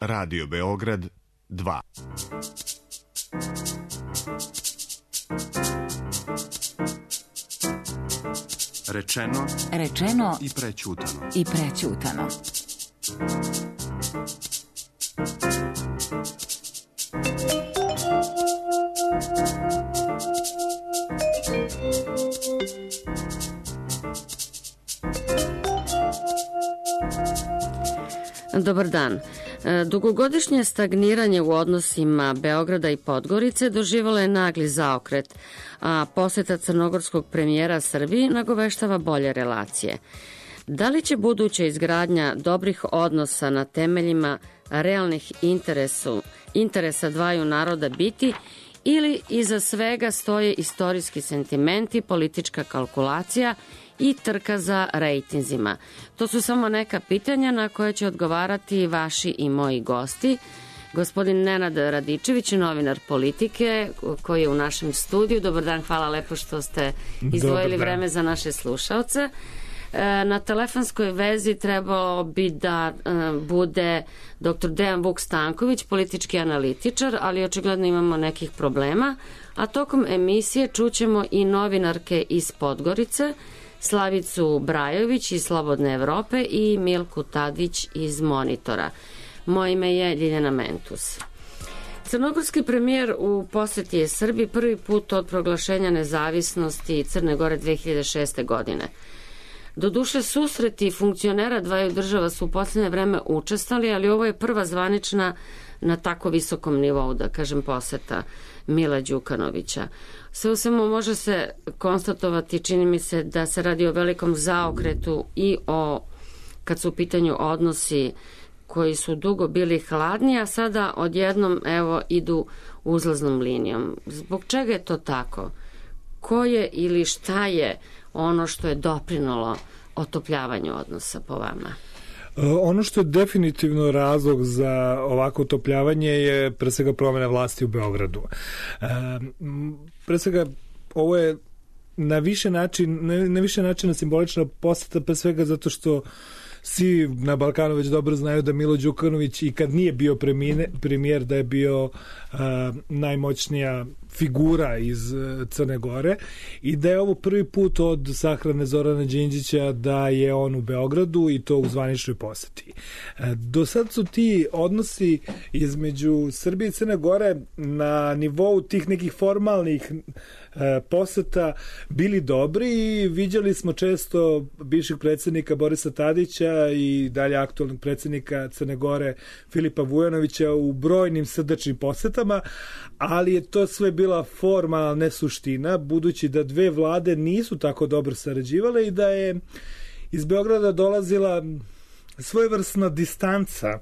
Radio Beograd 2. Rečeno i prećutano. Dobar dan. Dugogodišnje stagniranje u odnosima Beograda i Podgorice doživjelo je nagli zaokret, a poseta crnogorskog premijera Srbiji nagoveštava bolje relacije. Da li će buduća izgradnja dobrih odnosa na temeljima realnih interesa dvaju naroda biti ili iza svega stoje istorijski sentimenti, politička kalkulacija i trka za rejtinzima? To su samo neka pitanja na koje će odgovarati vaši i moji gosti. Gospodin Nenad Radičević, novinar Politike, koji je u našem studiju. Dobar dan, hvala lepo što ste izdvojili vreme za naše slušaoce. Na telefonskoj vezi trebalo bi da bude dr. Dejan Vuk Stanković, politički analitičar, ali očigledno imamo nekih problema. A tokom emisije čućemo i novinarke iz Podgorice, Slavicu Brajović iz Slobodne Evrope i Milku Tadić iz Monitora. Moje ime je Ljiljana Mentus. Crnogorski premijer u poseti je Srbiji prvi put od proglašenja nezavisnosti Crne Gore 2006. godine. Doduše, susreti funkcionera dvaju država su u posljednje vreme učestali, ali ovo je prva zvanična na tako visokom nivou, da kažem, poseta Mila Đukanovića. Sve u svemu može se konstatovati, čini mi se, da se radi o velikom zaokretu i kad su u pitanju odnosi koji su dugo bili hladni, a sada odjednom idu uzlaznom linijom. Zbog čega je to tako? Ko je ili šta je ono što je doprinalo otopljavanju odnosa po vama? Ono što je definitivno razlog za ovako otopljavanje je pre svega promjena vlasti u Beogradu. Pre svega ovo je na više načina simbolična poseta, pre svega zato što svi na Balkanu već dobro znaju da Milo Đukanović i kad nije bio premijer da je bio najmoćnija figura iz Crne Gore i da je ovo prvi put od sahrane Zorana Đinđića da je on u Beogradu i to u zvaničnoj poseti. Do sad su ti odnosi između Srbije i Crne Gore na nivou tih nekih formalnih poseta bili dobri i viđali smo često bivšeg predsjednika Borisa Tadića i dalje aktualnog predsjednika Crne Gore Filipa Vujanovića u brojnim srdačnim posetama, ali je to sve bila forma, ne suština, budući da dve vlade nisu tako dobro sarađivale i da je iz Beograda dolazila svojevrsna distanca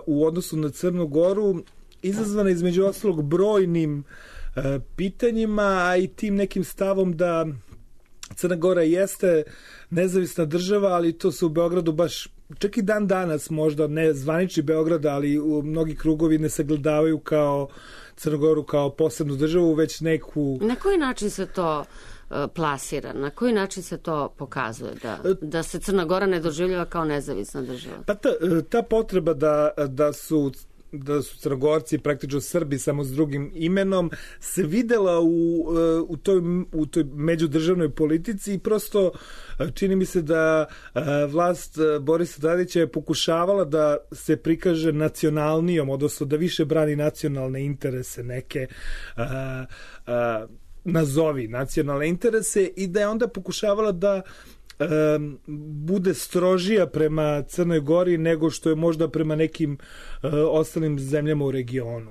u odnosu na Crnu Goru, izazvana između ostalog brojnim pitanjima, a i tim nekim stavom da Crna Gora jeste nezavisna država, ali to se u Beogradu baš, čak i dan danas možda ne zvanični Beograd, ali u mnogi krugovi ne sagledavaju kao Crnu Goru kao posebnu državu, već neku... Na koji način se to plasira? Na koji način se to pokazuje? Da se Crna Gora ne doživljava kao nezavisna država? Pa ta potreba da su Crnogorci praktično Srbi samo s drugim imenom se videla u toj međudržavnoj politici i prosto čini mi se da vlast Borisa Tadića je pokušavala da se prikaže nacionalnijom, odnosno da više brani nacionalne interese neke nazovi nacionalne interese i da je onda pokušavala da bude strožija prema Crnoj Gori nego što je možda prema nekim ostalim zemljama u regionu.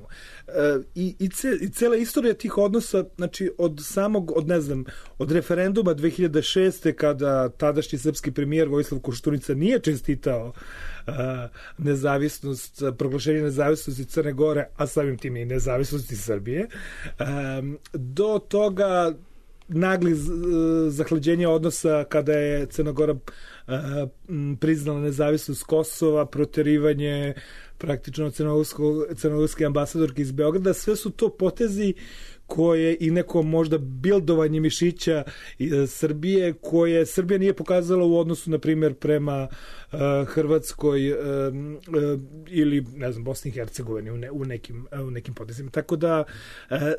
I cela istorija tih odnosa, znači od referenduma 2006. kada tadašnji srpski premijer Vojislav Koštunica nije čestitao proglašenje nezavisnosti Crne Gore, a samim tim i nezavisnosti Srbije, do toga nagli zahlađenja odnosa kada je Crna Gora priznala nezavisnost Kosova, proterivanje praktično crnogorske ambasadorke iz Beograda. Sve su to potezi koje i neko možda bildovanje mišića Srbije, koje Srbija nije pokazala u odnosu, na primjer, prema Hrvatskoj ili, ne znam, Bosni i Hercegovini u nekim potezima. Tako da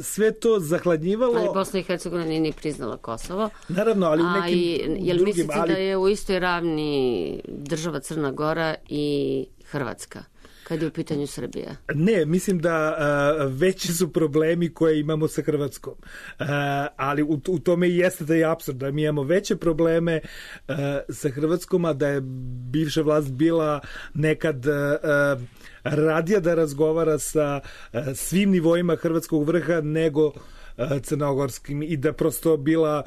sve to zahladnjivalo... Ali Bosna i Hercegovina nije ni priznala Kosovo. Naravno, ali u nekim jel drugim... mislite da je u istoj ravni država Crna Gora i Hrvatska, kad je u pitanju Srbija? Ne, mislim da veći su problemi koje imamo sa Hrvatskom. Ali u tome i jeste da je apsurd, da mi imamo veće probleme sa Hrvatskom, a da je bivša vlast bila nekad radija da razgovara sa svim nivoima hrvatskog vrha nego crnogorskim i da prosto bila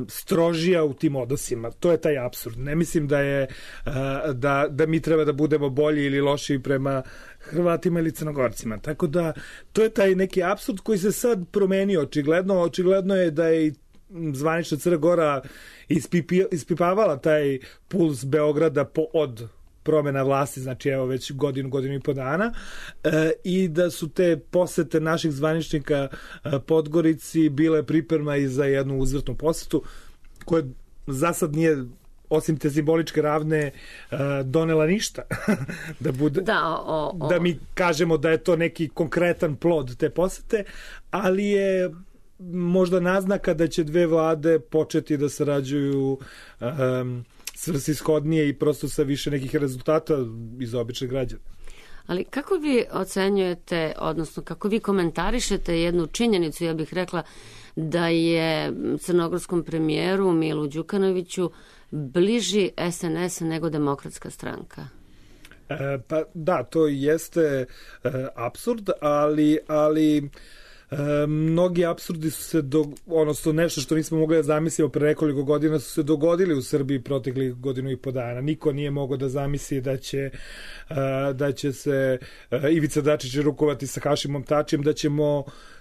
strožija u tim odnosima. To je taj apsurd. Ne mislim da je da mi treba da budemo bolji ili lošiji prema Hrvatima ili Crnogorcima. Tako da to je taj neki apsurd koji se sad promenio očigledno. Očigledno je da je zvanična Crna Gora ispipavala taj puls Beograda od promena vlasti, znači evo već godinu i po dana, i da su te posete naših zvaničnika Podgorici bile priprema i za jednu uzvrtnu posetu koja za sad nije, osim te simboličke ravne, donela ništa. Da mi kažemo da je to neki konkretan plod te posete, ali je možda naznaka da će dve vlade početi da sarađuju svrsishodnije i prosto sa više nekih rezultata iz običnih građana. Ali kako vi ocenjujete, odnosno kako vi komentarišete jednu činjenicu, ja bih rekla da je crnogorskom premijeru Milu Đukanoviću bliži SNS nego Demokratska stranka? Pa da, to jeste apsurd, ali mnogi apsurdi su se odnosno nešto što nismo mogli da zamislimo pre nekoliko godina su se dogodili u Srbiji proteklih godinu i po dana. Niko nije mogao da zamisli da će se Ivica Dačić rukovati sa Hašimom Tačijem,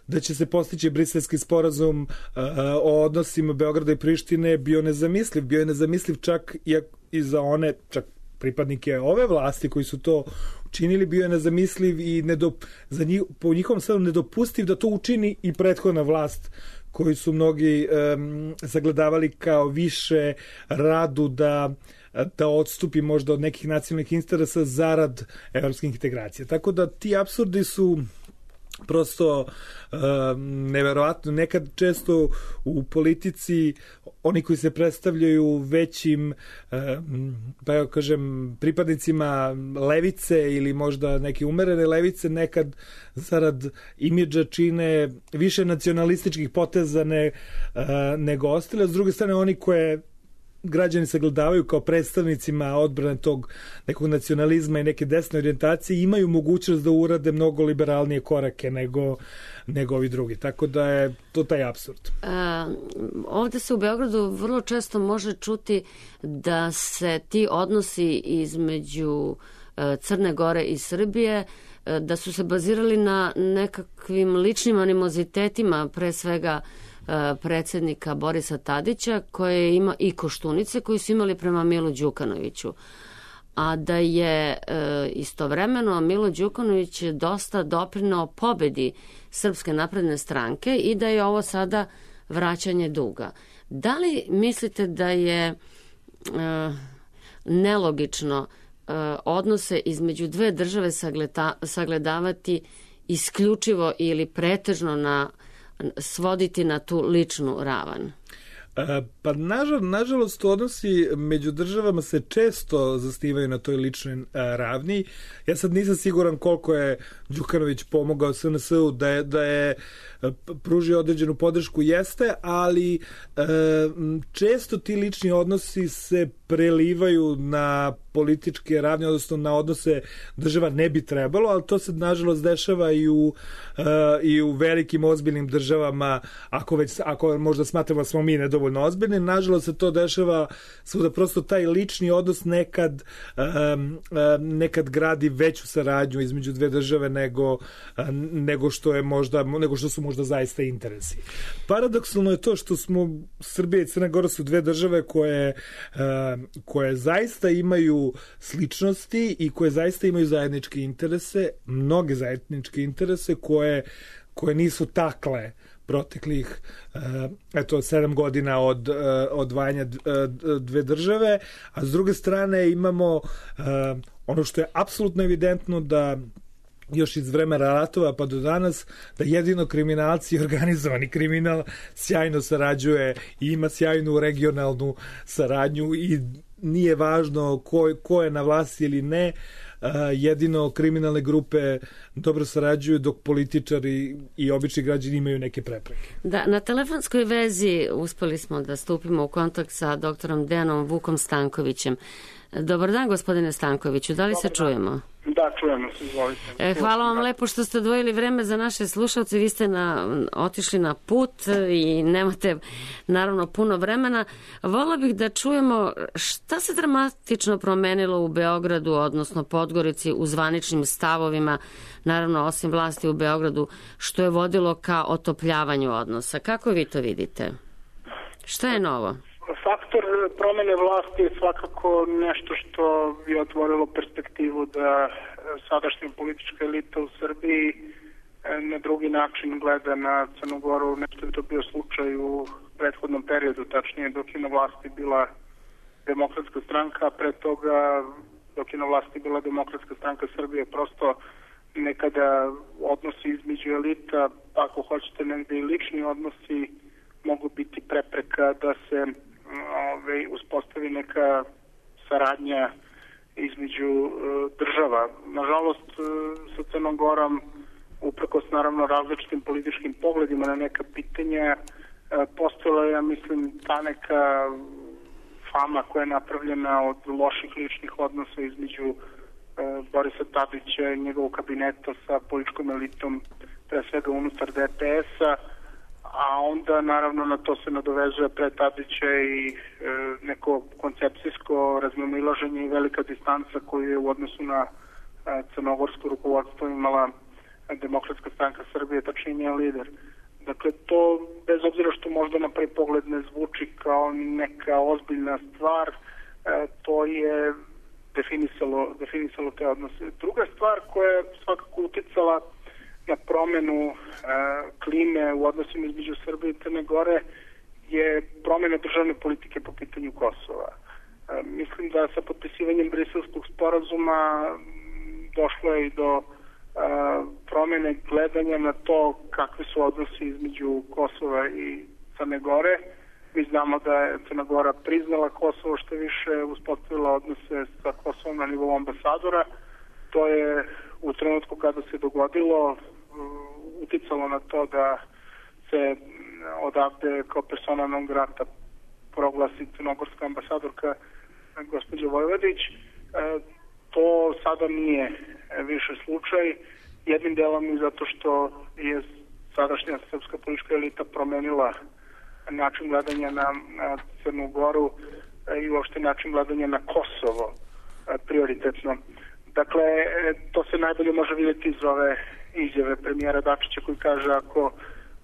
da će se postići briselski sporazum o odnosima Beograda i Prištine. Bio je nezamisliv čak i za one, čak pripadnike ove vlasti koji su to učinili, bio je nezamisliv i po njihovom stranu nedopustiv da to učini i prethodna vlast koju su mnogi sagledavali kao više radu da odstupi možda od nekih nacionalnih interesa zarad evropskih integracija. Tako da ti apsurdi su prosto neverovatno. Nekad često u politici oni koji se predstavljaju većim da ja kažem pripadnicima levice ili možda neke umerene levice nekad zarad imidža čine više nacionalističkih poteza nego ostale. S druge strane oni koje građani sagledavaju kao predstavnicima odbrane tog nekog nacionalizma i neke desne orijentacije imaju mogućnost da urade mnogo liberalnije korake nego ovi drugi. Tako da je to taj apsurd. Ovde se u Beogradu vrlo često može čuti da se ti odnosi između Crne Gore i Srbije da su se bazirali na nekakvim ličnim animozitetima, pre svega predsjednika Borisa Tadića koje ima i Koštunice koji su imali prema Milu Đukanoviću, a da je istovremeno Milo Đukanović dosta doprineo pobedi Srpske napredne stranke i da je ovo sada vraćanje duga. Da li mislite da je nelogično odnose između dve države sagledavati isključivo ili pretežno svoditi na tu ličnu ravan? Pa nažalost odnosi među državama se često zasnivaju na toj ličnoj ravni. Ja sad nisam siguran koliko je Đukanović pomogao SNS-u da je pružio određenu podršku, jeste, ali često ti lični odnosi se prelivaju na političke ravne, odnosno na odnose država ne bi trebalo, ali to se nažalost dešava i u velikim ozbiljnim državama, ako možda smatramo da smo mi nedovoljno ozbiljni, nažalost se to dešava svuda, prosto taj lični odnos nekad gradi veću saradnju između dve države nego što su možda zaista interesi. Paradoksalno je to što smo Srbija i Crna Gora su dve države koje koje zaista imaju sličnosti i koje zaista imaju zajedničke interese, mnoge zajedničke interese koje nisu takle proteklih 7 godina od odvajanja dve države, a s druge strane imamo ono što je apsolutno evidentno da još iz vremena ratova pa do danas, da jedino kriminalci i organizovani kriminal sjajno sarađuje i ima sjajnu regionalnu saradnju i nije važno ko je na vlasti ili ne, jedino kriminalne grupe dobro sarađuju dok političari i obični građani imaju neke prepreke. Da, na telefonskoj vezi uspeli smo da stupimo u kontakt sa doktorom Dejanom Vukom Stankovićem. Dobar dan, gospodine Stankoviću, da li se čujemo? Da, čujemo se, izvolite. Hvala vam lepo što ste odvojili vreme za naše slušalce. Vi ste otišli na put i nemate naravno puno vremena. Vola bih da čujemo šta se dramatično promenilo u Beogradu, odnosno Podgorici, u zvaničnim stavovima, naravno osim vlasti u Beogradu, što je vodilo ka otopljavanju odnosa. Kako vi to vidite? Šta je novo? Faktor promene vlasti je svakako nešto što je otvorilo perspektivu da sadašnja politička elita u Srbiji na drugi način gleda na Crnu Goru. Nešto je to bio slučaj u prethodnom periodu, tačnije dok je na vlasti bila Demokratska stranka, a pre toga dok je na vlasti bila Demokratska stranka Srbije. Prosto nekada odnosi između elita, ako hoćete negde i lični odnosi, mogu biti prepreka da se uspostavi neka saradnja između država. Nažalost, sa Crnom Gorom, uprkos naravno različitim političkim pogledima na neka pitanja, postojala je, ja mislim, ta neka fama koja je napravljena od loših ličnih odnosa između Borisa Tadića i njegovog kabineta sa političkom elitom, pre svega unutar DPS-a, a onda naravno na to se nadovezuje pre Tadića i neko koncepcijsko razmimoilaženje i velika distanca koju je u odnosu na crnogorsko rukovodstvo imala Demokratska stranka Srbije, tačnije njen lider. Dakle, to, bez obzira što možda na prvi pogled ne zvuči kao neka ozbiljna stvar, to je definisalo te odnose. Druga stvar koja je svakako uticala na promenu klime u odnosima između Srbije i Crne Gore je promena državne politike po pitanju Kosova. Mislim da sa potpisivanjem Briselskog sporazuma došlo je i do promene gledanja na to kakvi su odnosi između Kosova i Crne Gore. Mi znamo da je Crna Gora priznala Kosovo, što više uspostavila odnose sa Kosovom na nivou ambasadora. To je u trenutku kada se dogodilo uticalo na to da se odavde kao persona non grata proglasi crnogorska ambasadorka gospođa Vojvodić. To sada nije više slučaj. Jednim delom i zato što je sadašnja srpska politička elita promenila način gledanja na Crnu Goru i uopšte način gledanja na Kosovo prioritetno. Dakle, to se najbolje može vidjeti iz ove izjave premijera Dačića koji kaže ako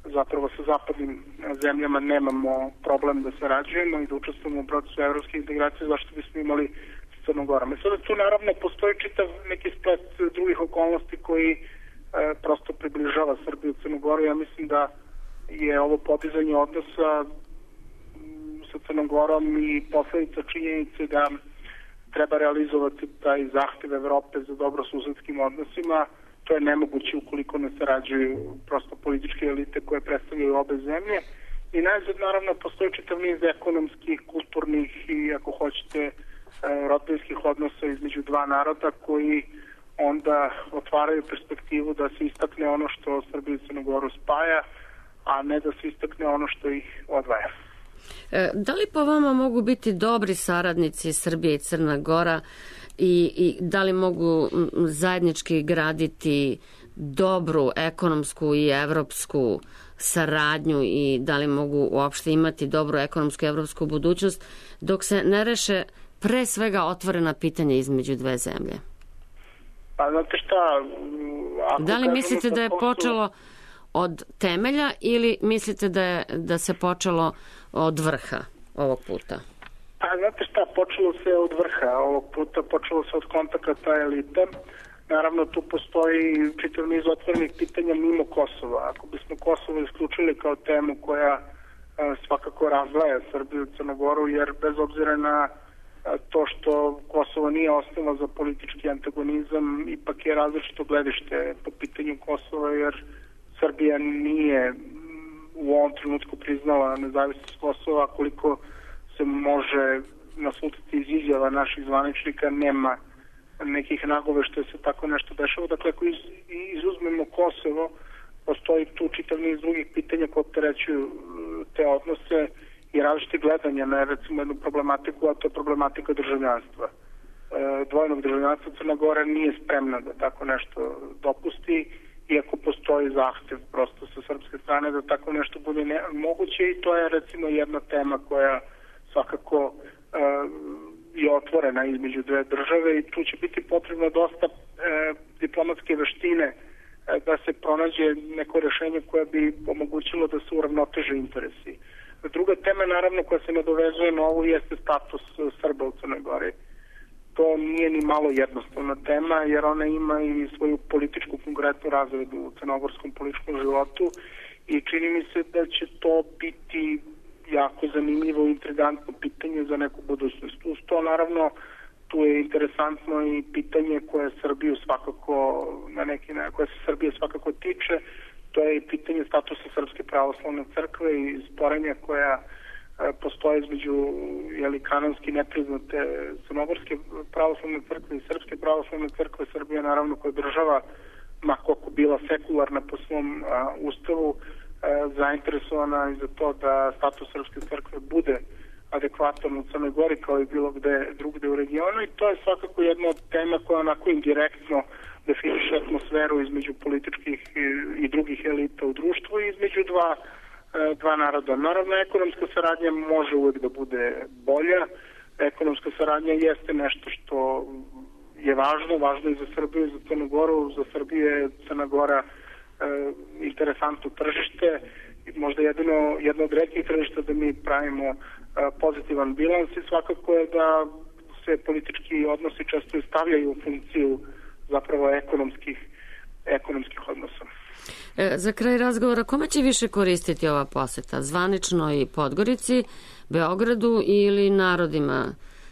zapravo sa zapadnim zemljama nemamo problem da sarađujemo i da učestvujemo u procesu evropske integracije, zašto bismo imali s Crnom Gorom. Sada tu naravno postoji čitav neki splet drugih okolnosti koji prosto približava Srbiju u Crnu Goru. Ja mislim da je ovo podizanje odnosa sa Crnom Gorom i posledica činjenice da treba realizovati taj zahtev Evrope za dobrosusedskim odnosima. To je nemoguće ukoliko ne sarađuju prosto političke elite koje predstavljaju obe zemlje. I najzad naravno postoji čitav niz ekonomskih, kulturnih i ako hoćete rodbinskih odnosa između dva naroda koji onda otvaraju perspektivu da se istakne ono što Srbiju i Crnu Goru spaja, a ne da se istakne ono što ih odvaja. Da li po vama mogu biti dobri saradnici Srbije i Crna Gora i da li mogu zajednički graditi dobru ekonomsku i evropsku saradnju i da li mogu uopšte imati dobru ekonomsku i evropsku budućnost dok se ne reše pre svega otvorena pitanja između dve zemlje? Pa znate šta... Da li mislite da je počelo od temelja ili mislite da se počelo od vrha ovog puta? Pa Pa, znate šta, počelo se od vrha, ovog puta počelo se od kontakata elite. Naravno, tu postoji čitav niz otvorenih pitanja mimo Kosova. Ako bismo Kosovo isključili kao temu koja svakako razdvaja Srbiju i Crnogoru, jer bez obzira na to što Kosovo nije osnova za politički antagonizam, ipak je različito gledište po pitanju Kosova, jer Srbija nije u ovom trenutku priznala nezavisnost Kosova, koliko se može naslutiti iz izjava naših zvaničnika, nema nekih nagoveštaja se tako nešto dešava. Dakle, ako izuzmemo Kosovo, postoji tu čitav niz drugih pitanja koje opterećuju te odnose i različite gledanja na recimo jednu problematiku, a to je problematika državljanstva. Dvojnog državljanstva Crna Gora nije spremna da tako nešto dopusti, iako postoji zahtev prosto sa srpske strane da tako nešto bude moguće, i to je recimo jedna tema koja svakako je otvorena između dve države, i tu će biti potrebno dosta diplomatske veštine da se pronađe neko rešenje koje bi omogućilo da se uravnoteže interesi. Druga tema, naravno, koja se nadovezuje na ovu, jeste status Srba u Crnoj Gori. To nije ni malo jednostavna tema, jer ona ima i svoju političku konkretnu razredu u crnogorskom političkom životu, i čini mi se da će to biti jako zanimljivo i intrigantno pitanje za neku budućnost. Uz to, naravno, tu je interesantno i pitanje koje Srbiju svakako koje se Srbije svakako tiče, to je i pitanje statusa Srpske pravoslavne crkve i sporenja koja postoje između kanonski nepriznate Crnogorske pravoslavne crkve i Srpske pravoslavne crkve. Srbija, naravno, koja država, ma koliko bila sekularna po svom ustavu, zainteresovana i za to da status Srpske crkve bude adekvatan u Crnoj Gori kao i bilo gde drugde u regionu, i to je svakako jedna od tema koja onako indirektno definiše atmosferu između političkih i drugih elita u društvu i između dva naroda. Naravno, ekonomska saradnja može uvek da bude bolja. Ekonomska saradnja jeste nešto što je važno i za Srbiju i za Crnu Goru. Za Srbiju je Crna Gora interesantno tržište, možda jedno od retkih tržišta da mi pravimo pozitivan bilans, i svakako je da se politički odnosi često stavljaju u funkciju zapravo ekonomskih odnosa. Za kraj razgovora, kome će više koristiti ova poseta? Zvaničnoj Podgorici, Beogradu ili narodima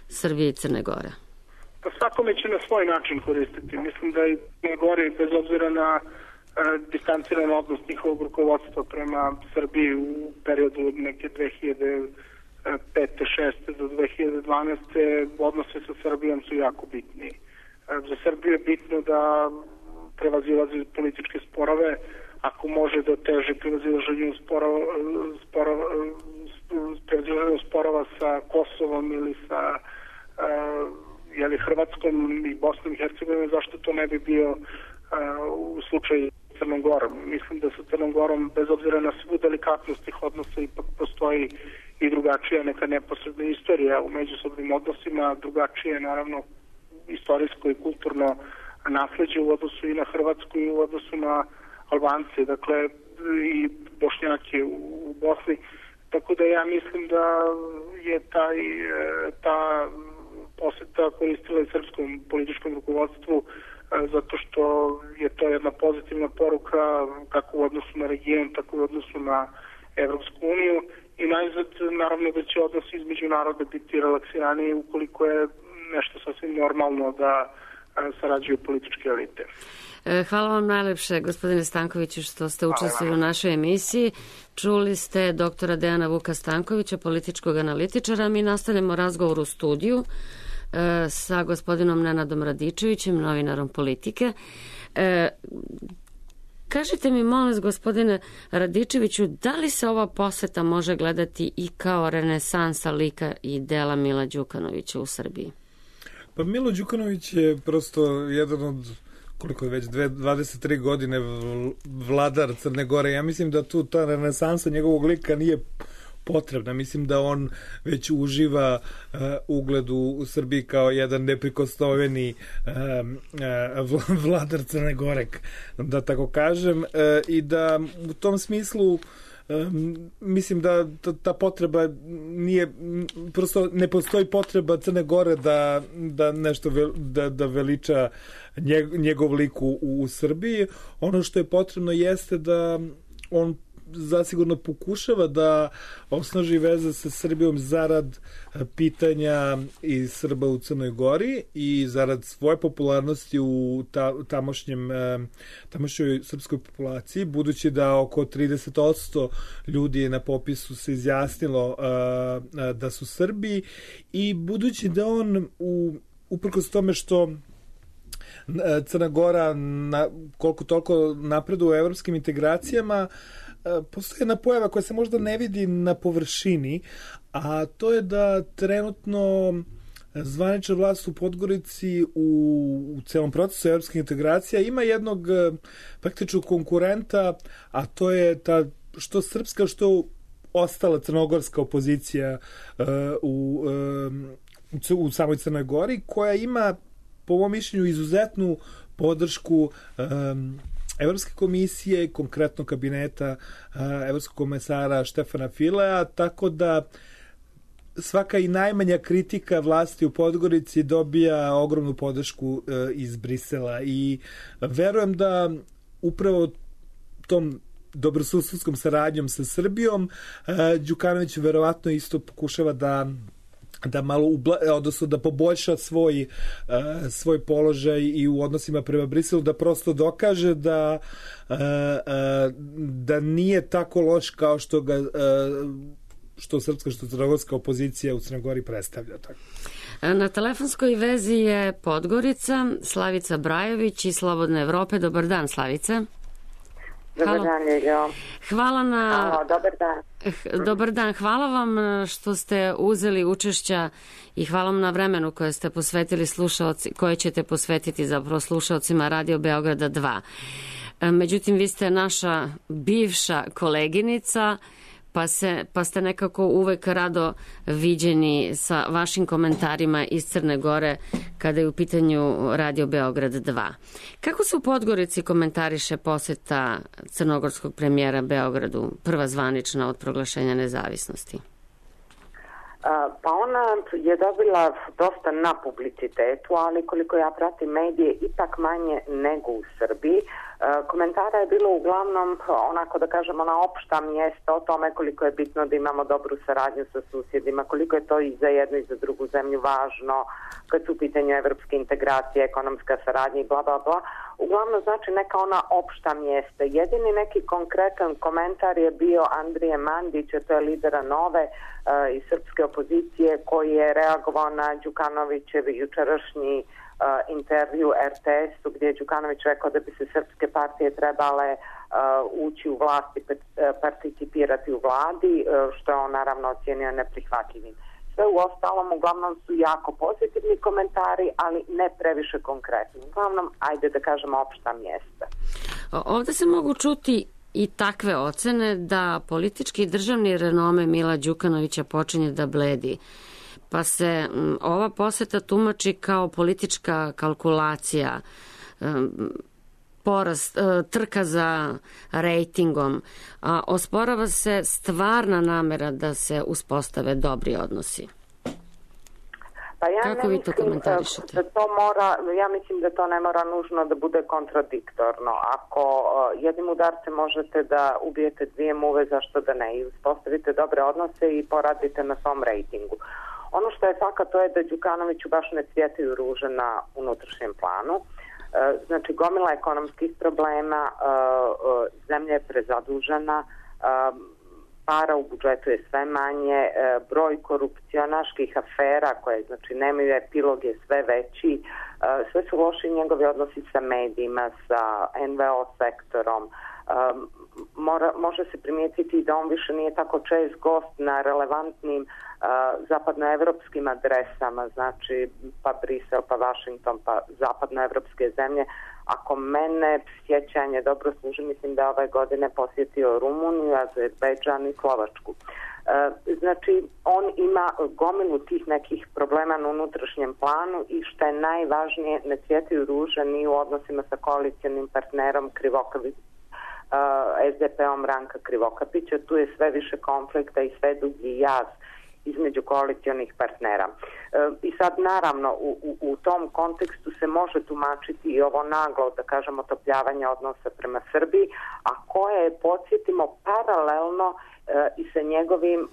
Srbije i Crne Gore? Pa svakome će na svoj način koristiti. Mislim da i Crne Gore, bez obzira na distanciran odnos njihovog rukovodstva prema Srbiji u periodu od neke 2005. 6. do 2012. odnose sa Srbijom su jako bitni. Za Srbiju je bitno da prevazilazi političke sporove, ako može da teži prevazilaženju sporova sa Kosovom ili sa Hrvatskom i Bosnom i Hercegovinom, zašto to ne bi bio u slučaju Crnom Gorom. Mislim da sa Crnom Gorom, bez obzira na svu delikatnost tih odnosa, ipak postoji i drugačija neka neposredna istorija u međusobnim odnosima, drugačije, naravno, istorijsko i kulturno nasleđe u odnosu i na Hrvatsku i u odnosu na Albance, dakle, i Bošnjake u Bosni. Tako da ja mislim da je ta poseta koristila i srpskom političkom rukovodstvu, zato što je to jedna pozitivna poruka kako u odnosu na region, tako i u odnosu na Evropsku uniju, i najzad, naravno, da će odnosi između naroda biti relaksiraniji ukoliko je nešto sasvim normalno da sarađuju političke elite. Hvala vam najlepše, gospodine Stankoviću, što ste učestvovali u našoj emisiji. Čuli ste doktora Dejana Vuka Stankovića, političkog analitičara. Mi nastavljamo razgovor u studiju sa gospodinom Nenadom Radičevićem, novinarom Politike. Kažite mi, molim vas, gospodine Radičeviću, da li se ova poseta može gledati i kao renesansa lika i dela Mila Đukanovića u Srbiji? Pa Milo Đukanović je prosto jedan od, koliko je već, 23 godine vladar Crne Gore. Ja mislim da tu ta renesansa njegovog lika nije potrebna. Mislim da on već uživa ugled u Srbiji kao jedan neprikosnoveni vladar Crne Gore, da tako kažem, i da u tom smislu mislim da ta potreba nije, prosto ne postoji potreba Crne Gore da nešto da veliča njegov lik u Srbiji. Ono što je potrebno jeste da on zasigurno pokušava da osnaži veze sa Srbijom zarad pitanja i Srba u Crnoj Gori i zarad svoje popularnosti u tamošnjoj srpskoj populaciji, budući da oko 30% ljudi na popisu se izjasnilo da su Srbi, i budući da on uprkos tome što Crna Gora koliko toliko napreduje u evropskim integracijama, postoji jedna pojava koja se možda ne vidi na površini, a to je da trenutno zvanična vlast u Podgorici u celom procesu evropskih integracija ima jednog praktičnog konkurenta, a to je ta što srpska, što ostala crnogorska opozicija u samoj Crnoj Gori, koja ima, po mom mišljenju, izuzetnu podršku Evropske komisije, konkretno kabineta evropskog komesara Štefana Filea, tako da svaka i najmanja kritika vlasti u Podgorici dobija ogromnu podršku iz Brisela, i verujem da upravo tom dobrosusedskom saradnjom sa Srbijom Đukanović verovatno isto pokušava da malo odnosno da poboljša svoj položaj i u odnosima prema Briselu, da prosto dokaže da nije tako loš kao što srpska, što crnogorska opozicija u Crnoj Gori predstavlja. Tako. Na telefonskoj vezi je Podgorica, Slavica Brajović iz Slobodne Evrope. Dobar dan, Slavice. Dobar dan, Ljiljo. Hvala dobar dan. Dobar dan, hvala vam što ste uzeli učešća i hvala vam na vremenu koje ste posvetili koje ćete posvetiti zapravo slušaocima Radio Beograda 2. Međutim, vi ste naša bivša koleginica, pa ste nekako uvek rado viđeni sa vašim komentarima iz Crne Gore kada je u pitanju Radio Beograd 2. Kako se u Podgorici komentariše poseta crnogorskog premijera Beogradu, prva zvanična od proglašenja nezavisnosti? Pa ona je dobila dosta na publicitetu, ali koliko ja pratim medije, ipak manje nego u Srbiji. Komentara je bilo uglavnom, onako da kažemo, na opšta mjesta o tome koliko je bitno da imamo dobru saradnju sa susjedima, koliko je to i za jednu i za drugu zemlju važno, kad su u pitanju evropske integracije, ekonomska saradnja i bla bla bla. Uglavnom znači neka ona opšta mjesta. Jedini neki konkretan komentar je bio Andrije Mandića, to je lidera Nove iz srpske opozicije, koji je reagovao na Đukanovićev jučerašnji intervju RTS-u, gdje je Đukanović rekao da bi se srpske partije trebale ući u vlast i participirati u vladi, što je on naravno ocijenio neprihvatljivim. Sve u ostalom uglavnom su jako pozitivni komentari, ali ne previše konkretni. Uglavnom, ajde da kažemo, opšta mjesta. Ovdje se mogu čuti i takve ocene da politički i državni renome Mila Đukanovića počinje da bledi, pa se ova poseta tumači kao politička kalkulacija, trka za rejtingom, a osporava se stvarna namera da se uspostave dobri odnosi. Pa ja kako vi to komentarišete? Ja mislim da to ne mora nužno da bude kontradiktorno. Ako jednim udarcem možete da ubijete dvije muve, zašto da ne? I uspostavite dobre odnose i poradite na svom rejtingu. Ono što je fakat, to je da Đukanoviću baš ne cvjetaju ruže na unutrašnjem planu. Znači, gomila ekonomskih problema, zemlja je prezadužena, para u budžetu je sve manje, broj korupcionaških afera koje znači nemaju epilog je sve veći, sve su loši njegovi odnosi sa medijima, sa NVO sektorom. Može se primijetiti da on više nije tako čest gost na relevantnim zapadnoevropskim adresama, znači pa Brisel, pa Washington, pa zapadnoevropske zemlje. Ako mene sjećanje dobro služi, mislim da ove godine posjetio Rumuniju, Azerbejdžan i Slovačku. Znači, on ima gomilu tih nekih problema na unutrašnjem planu i što je najvažnije, ne cvjetaju ruže ni u odnosima sa koalicionim partnerom SDP-om Ranka Krivokapića. Tu je sve više konflikta i sve dugi jaz između koalicionih partnera. I sad naravno u tom kontekstu se može tumačiti i ovo naglo, da kažemo, otopljavanje odnosa prema Srbiji, a koje je, podsjetimo, paralelno i sa njegovim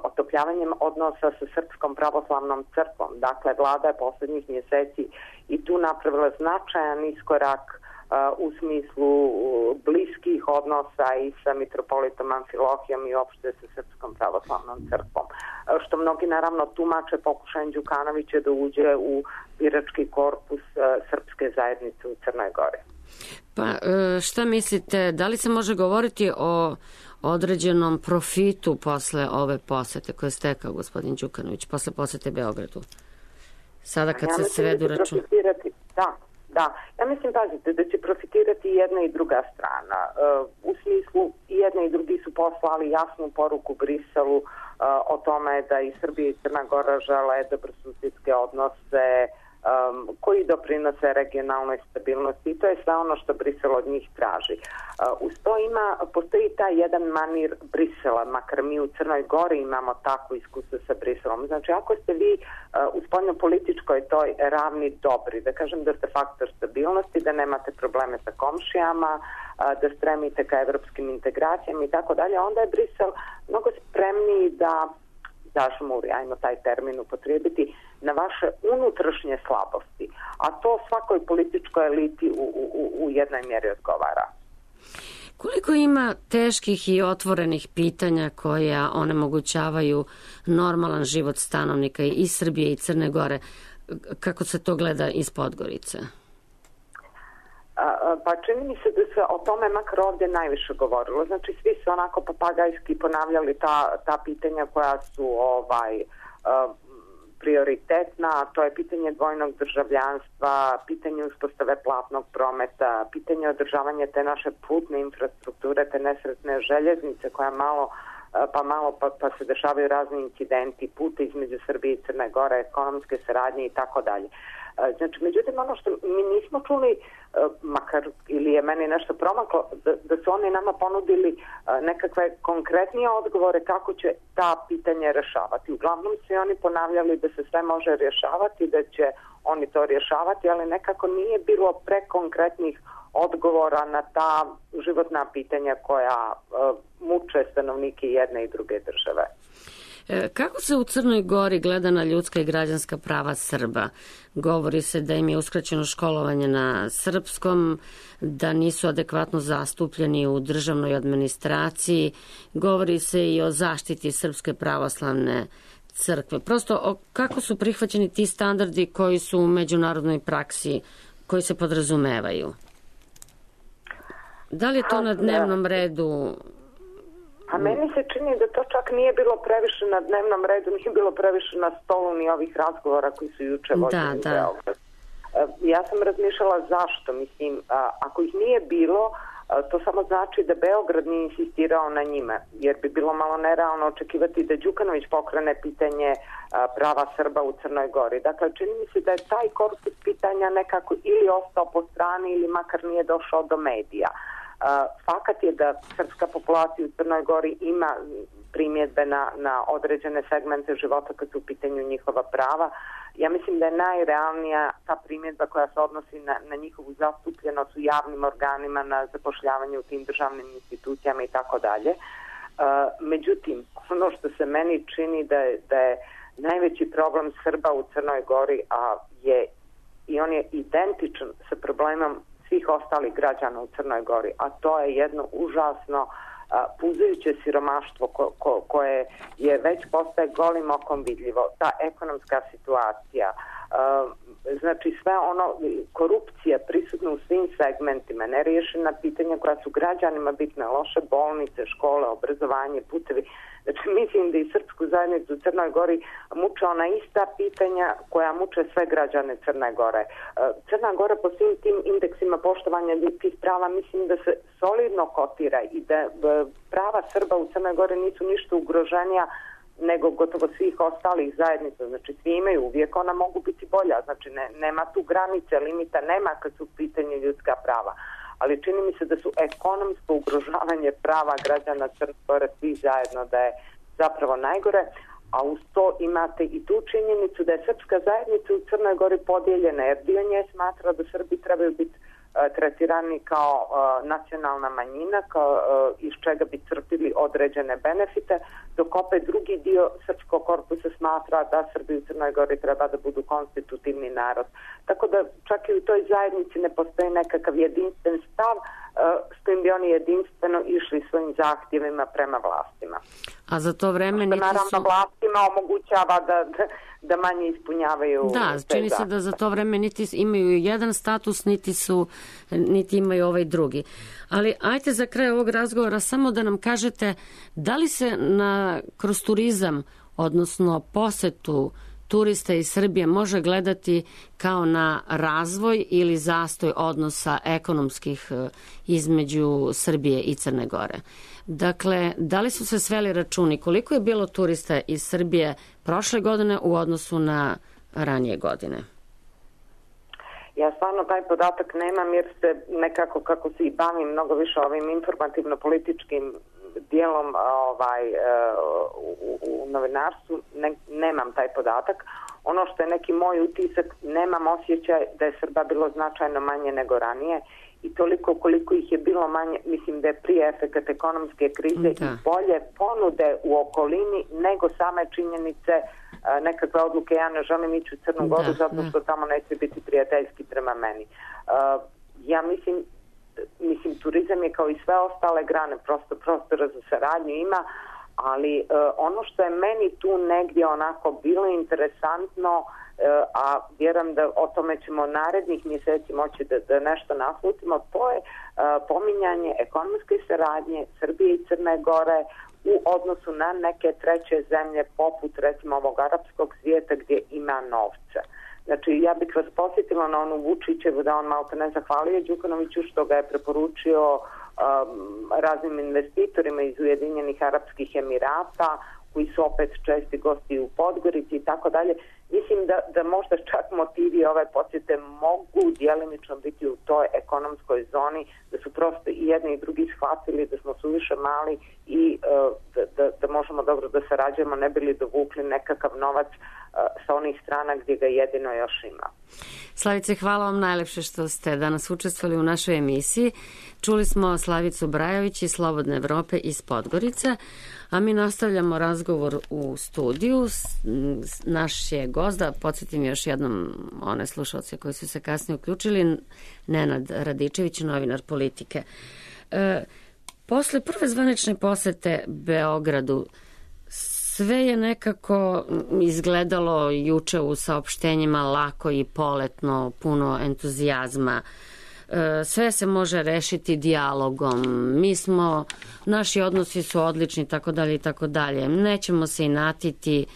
otopljavanjem odnosa sa Srpskom pravoslavnom crkvom. Dakle, vlada je poslednjih mjeseci i tu napravila značajan iskorak u smislu bliskih odnosa i sa mitropolitom Amfilohijom i uopšte sa Srpskom pravoslavnom crkvom. Što mnogi naravno tumače pokušajem Đukanovića da uđe u birački korpus srpske zajednice u Crnoj Gori. Pa šta mislite, da li se može govoriti o određenom profitu posle ove posete koje je stekao gospodin Đukanović, posle posete Beogradu? Sada kad se svedu račun... Da, ja mislim, pazite, da će profitirati jedna i druga strana. U smislu, i jedna i drugi su poslali jasnu poruku Briselu o tome da i Srbija i Crna Gora žele dobrosusjedske odnose koji doprinose regionalnoj stabilnosti i to je sve ono što Brisel od njih traži. Uz to postoji taj jedan manir Brisela, makar mi u Crnoj Gori imamo takvo iskustvo sa Briselom. Znači, ako ste vi u spoljnopolitičkoj toj ravni dobri, da kažem da ste faktor stabilnosti, da nemate probleme sa komšijama, da stremite ka evropskim integracijama i tako dalje, onda je Brisel mnogo spremniji da zažmuri, ajmo taj termin upotrijebiti, na vaše unutrašnje slabosti. A to svakoj političkoj eliti u jednoj mjeri odgovara. Koliko ima teških i otvorenih pitanja koja onemogućavaju normalan život stanovnika i Srbije i Crne Gore? Kako se to gleda iz Podgorice? Pa čini mi se da se o tome makar ovdje najviše govorilo. Znači svi su onako papagajski ponavljali ta pitanja koja su prioritetna, to je pitanje dvojnog državljanstva, pitanje uspostave platnog prometa, pitanje održavanja te naše putne infrastrukture, te nesretne željeznice koja pa se dešavaju razni incidenti, puta između Srbije i Crne Gore, ekonomske saradnje i tako dalje. Znači, međutim, ono što mi nismo čuli, makar ili je meni nešto promaklo, da su oni nama ponudili nekakve konkretnije odgovore kako će ta pitanja rješavati. Uglavnom su oni ponavljali da se sve može rješavati, da će oni to rješavati, ali nekako nije bilo prekonkretnih odgovora na ta životna pitanja koja muče stanovnike jedne i druge države. Kako se u Crnoj Gori gleda na ljudska i građanska prava Srba? Govori se da im je uskraćeno školovanje na srpskom, da nisu adekvatno zastupljeni u državnoj administraciji. Govori se i o zaštiti Srpske pravoslavne crkve. Prosto, kako su prihvaćeni ti standardi koji su u međunarodnoj praksi, koji se podrazumevaju? Da li je to na dnevnom redu? A meni se čini da to čak nije bilo previše na dnevnom redu, nije bilo previše na stolu ni ovih razgovora koji su juče vodili u Beogradu. Ja sam razmišljala zašto, mislim, ako ih nije bilo, to samo znači da Beograd nije insistirao na njima, jer bi bilo malo nerealno očekivati da Đukanović pokrene pitanje prava Srba u Crnoj Gori. Dakle, čini mi se da je taj korpus pitanja nekako ili ostao po strani ili makar nije došao do medija. Fakat je da srpska populacija u Crnoj Gori ima primjedbe na određene segmente života kad su u pitanju njihova prava. Ja mislim da je najrealnija ta primjedba koja se odnosi na njihovu zastupljenost u javnim organima, na zapošljavanje u tim državnim institucijama i tako dalje. Međutim, ono što se meni čini da je najveći problem Srba u Crnoj Gori, i on je identičan sa problemom svih ostalih građana u Crnoj Gori, a to je jedno užasno puzajuće siromaštvo koje je već postaje golim okom vidljivo. Ta ekonomska situacija, znači sve ono, korupcija prisutna u svim segmentima, neriješena pitanja koja su građanima bitne, loše bolnice, škole, obrazovanje, putevi. Znači mislim da i srpsku zajednicu u Crnoj Gori muče ona ista pitanja koja muče sve građane Crne Gore. Crna Gora po svim tim indeksima poštovanja ljudskih prava mislim da se solidno kotira i da prava Srba u Crnoj Gori nisu ništa ugroženija nego gotovo svih ostalih zajednica. Znači svi imaju, uvijek ona mogu biti bolja. Znači nema tu granice, limita nema kad su u pitanju ljudska prava. ali čini mi se da su ekonomsko ugrožavanje prava građana Crne Gore svi zajedno da je zapravo najgore, a uz to imate i tu činjenicu da je srpska zajednica u Crnoj Gori podijeljena, jer dio nje smatra da Srbi trebaju biti tretirani kao nacionalna manjina, iz čega bi crpili određene benefite, dok opet drugi dio srpskog korpusa smatra da Srbi u Crnoj Gori treba da budu konstitutivni narod. Tako da čak i u toj zajednici ne postoji nekakav jedinstven stav s kojim bi oni jedinstveno išli svojim zahtjevima prema vlastima. A za to vreme niti su... Naravno, vlastima omogućava da manje ispunjavaju... Da, čini se da za to vreme niti imaju jedan status, niti imaju ovaj drugi. Ali ajte za kraj ovog razgovora samo da nam kažete da li se kroz turizam, odnosno posetu turista iz Srbije može gledati kao na razvoj ili zastoj odnosa ekonomskih između Srbije i Crne Gore. Dakle, da li su se sveli računi koliko je bilo turista iz Srbije prošle godine u odnosu na ranije godine? Ja stvarno taj podatak nemam jer se nekako kako se i bavim mnogo više ovim informativno-političkim dijelom u novinarstvu, nemam taj podatak. Ono što je neki moj utisak, nemam osjećaj da je Srba bilo značajno manje nego ranije i toliko koliko ih je bilo manje, mislim da je prije efekat ekonomske krize i bolje ponude u okolini nego same činjenice nekakve odluke. Ja ne želim ići u Crnu Goru zato što tamo neće biti prijateljski prema meni. Ja mislim, turizam je kao i sve ostale grane, prosto prostora za saradnju ima, ali ono što je meni tu negdje onako bilo interesantno, a vjerujem da o tome ćemo narednih mjeseci moći da nešto naslutimo, to je pominjanje ekonomske saradnje Srbije i Crne Gore u odnosu na neke treće zemlje poput recimo ovog arapskog svijeta gdje ima novca. Znači, ja bih vas posjetila na onu Vučićevu da on malo ne zahvalio Đukanoviću što ga je preporučio raznim investitorima iz Ujedinjenih Arapskih Emirata koji su opet česti gosti u Podgorici i tako dalje. Mislim da možda čak motivi ove posjete mogu djelimično biti u toj ekonomskoj zoni, da su prosto i jedni i drugi shvatili da smo suviše mali i da možemo dobro da sarađujemo, ne bili dovukli nekakav novac sa onih strana gdje ga jedino još ima. Slavice, hvala vam najlepše što ste danas učestvovali u našoj emisiji. Čuli smo Slavicu Brajović iz Slobodne Evrope iz Podgorice, a mi nastavljamo razgovor u studiju. Naš je gost, da podsjetim još jednom one slušalce koji su se kasnije uključili, Nenad Radičević, novinar Politike. Posle prve zvanične posete Beogradu, sve je nekako izgledalo juče u saopštenjima lako i poletno, puno entuzijazma. Sve se može rešiti dijalogom. Naši odnosi su odlični, tako dalje i tako dalje. Nećemo se inatiti.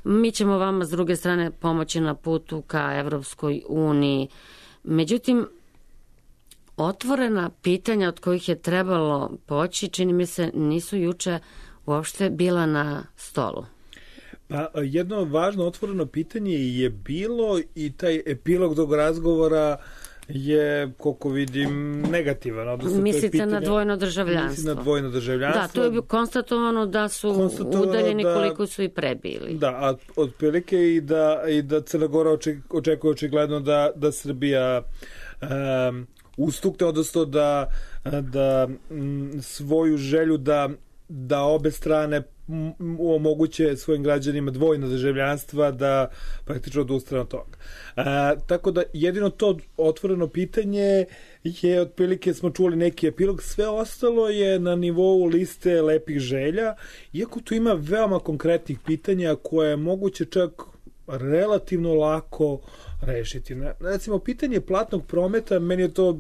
Mi ćemo vama s druge strane pomoći na putu ka Evropskoj uniji. Međutim, otvorena pitanja od kojih je trebalo poći, čini mi se, nisu juče uopšte bila na stolu. Pa jedno važno otvoreno pitanje je bilo i taj epilog tog razgovora je, koliko vidim, negativan. Mislite na dvojno državljanstvo? Mislim na dvojno državljanstvo. Da, to je konstatovano da su udaljeni koliko su i prebili. Da, a otprilike i da Crna Gora očekuje očigledno da Srbija ustukne, odnosno da svoju želju da obe strane omoguće svojim građanima dvojno državljanstva da praktično odustane od toga. Tako da jedino to otvoreno pitanje je, otprilike smo čuli neki epilog, sve ostalo je na nivou liste lepih želja, iako tu ima veoma konkretnih pitanja koje je moguće čak relativno lako rešiti. Recimo, pitanje platnog prometa, meni je to,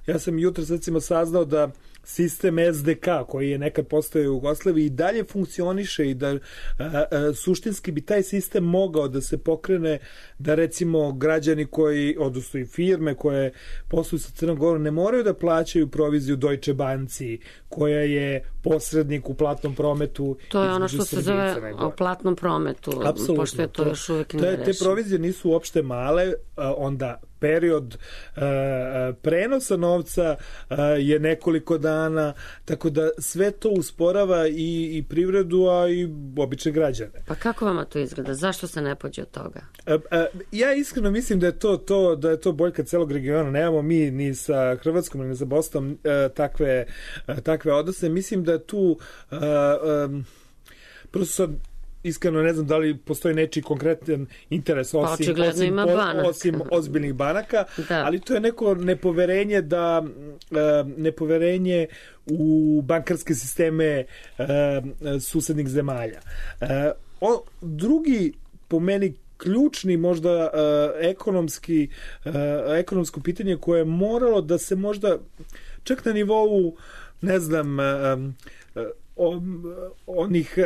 ja sam jutros recimo saznao da sistem SDK koji je nekad postojao u Jugoslaviji i dalje funkcioniše i da suštinski bi taj sistem mogao da se pokrene, da recimo građani koji, odnosno i firme koje posluju sa Crnom Gorom ne moraju da plaćaju proviziju Deutsche Banci koja je posrednik u platnom prometu. To je ono što se zove o platnom prometu. Apsolutno. Pošto je to još uvijek nerešeno. Te provizije nisu uopšte male, onda period prenosa novca je nekoliko dana, tako da sve to usporava i privredu, a i obične građane. Pa kako vama to izgleda? Zašto se ne pođe od toga? Ja iskreno mislim da je to boljka celog regiona. Nemamo mi ni sa Hrvatskom ni sa Bosnom takve odnose. Mislim da tu prosto sad iskreno ne znam da li postoji nečiji konkretan interes osim ozbiljnih banaka, da. Ali to je neko nepoverenje u bankarske sisteme susednih zemalja. Drugi, po meni, ključni možda ekonomsko pitanje koje je moralo da se možda čak na nivou, ne znam, onih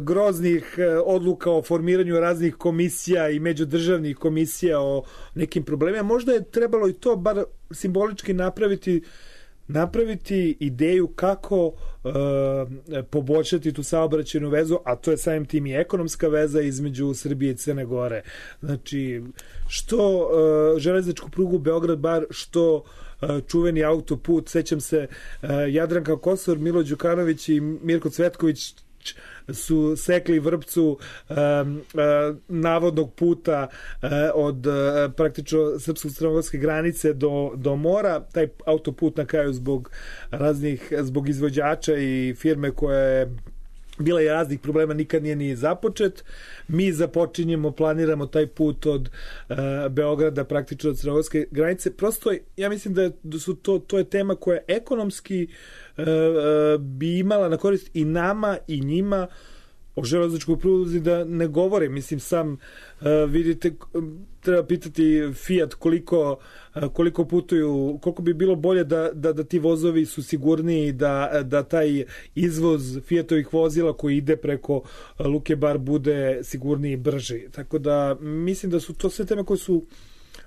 groznih odluka o formiranju raznih komisija i međudržavnih komisija o nekim problemima. Možda je trebalo i to bar simbolički napraviti ideju kako poboljšati tu saobraćajnu vezu, a to je samim tim i ekonomska veza između Srbije i Crne Gore. Znači, što železničku prugu Beograd-Bar, što čuveni autoput, sećam se Jadranka Kosor, Milo Đukanović i Mirko Cvetković su sekli vrpcu navodnog puta od praktično srpsko-crnogorske granice do mora. Taj autoput na kraju zbog izvođača i firme koja je bila je raznih problema, nikad nije ni započet. Mi planiramo taj put od Beograda praktično od crnogorske granice. Prosto, ja mislim da to je tema koja ekonomski bi imala na korist i nama i njima. O železničkoj pruzi da ne govore. Mislim, sam vidite, treba pitati Fiat koliko putuju, koliko bi bilo bolje da ti vozovi su sigurniji, da taj izvoz Fiatovih vozila koji ide preko Luke Bar bude sigurniji i brži. Tako da mislim da su to sve teme koje su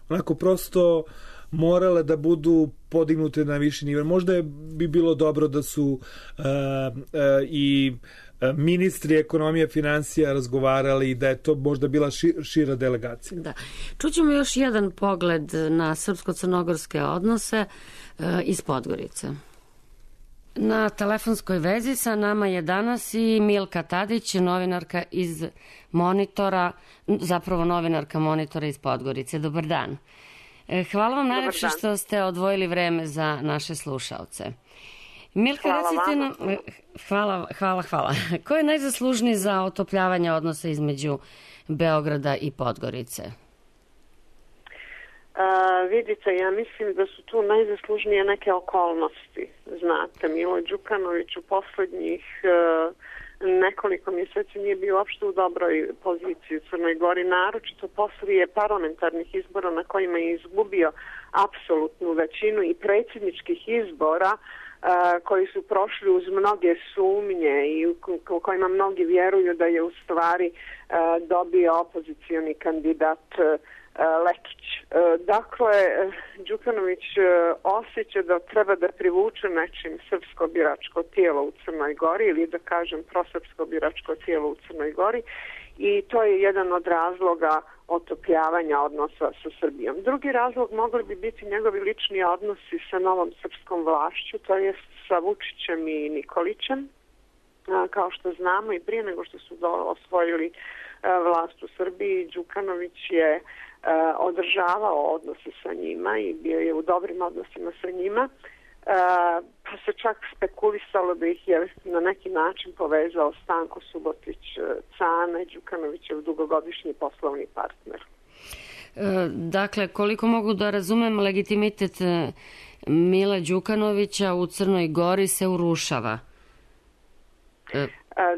onako prosto morale da budu podignute na viši nivo. Možda bi bilo dobro da su i ministri ekonomije, financija razgovarali i da je to možda bila šira delegacija. Da. Čućemo još jedan pogled na srpsko-crnogorske odnose iz Podgorice. Na telefonskoj vezi sa nama je danas i Milka Tadić, novinarka iz Monitora, zapravo novinarka Monitora iz Podgorice. Dobar dan. Hvala vam najlepše što ste odvojili vreme za naše slušaoce. Milka, recite nam... Hvala. Ko je najzaslužniji za otopljavanje odnosa između Beograda i Podgorice? Vidite, ja mislim da su tu najzaslužnije neke okolnosti. Znate, Milo Đukanović u poslednjih nekoliko mjeseci nije bio uopšte u dobroj poziciji u Crnoj Gori, naročito poslije parlamentarnih izbora na kojima je izgubio apsolutnu većinu i predsjedničkih izbora koji su prošli uz mnoge sumnje i u kojima mnogi vjeruju da je u stvari dobio opozicioni kandidat Lekić. Dakle, Đukanović osjeća da treba da privuče nečim srpsko biračko tijelo u Crnoj Gori ili da kažem prosrpsko biračko tijelo u Crnoj Gori i to je jedan od razloga otopljavanja odnosa sa Srbijom. Drugi razlog mogli bi biti njegovi lični odnosi sa novom srpskom vlašću, to jest sa Vučićem i Nikolićem. Kao što znamo i prije nego što su osvojili vlast u Srbiji, Đukanović je održavao odnose sa njima i bio je u dobrim odnosima sa njima, pa se čak spekulisalo da ih je na neki način povezao Stanko Subotić-Cane, Đukanovićev dugogodišnji poslovni partner. Dakle, koliko mogu da razumem, legitimitet Mila Đukanovića u Crnoj Gori se urušava.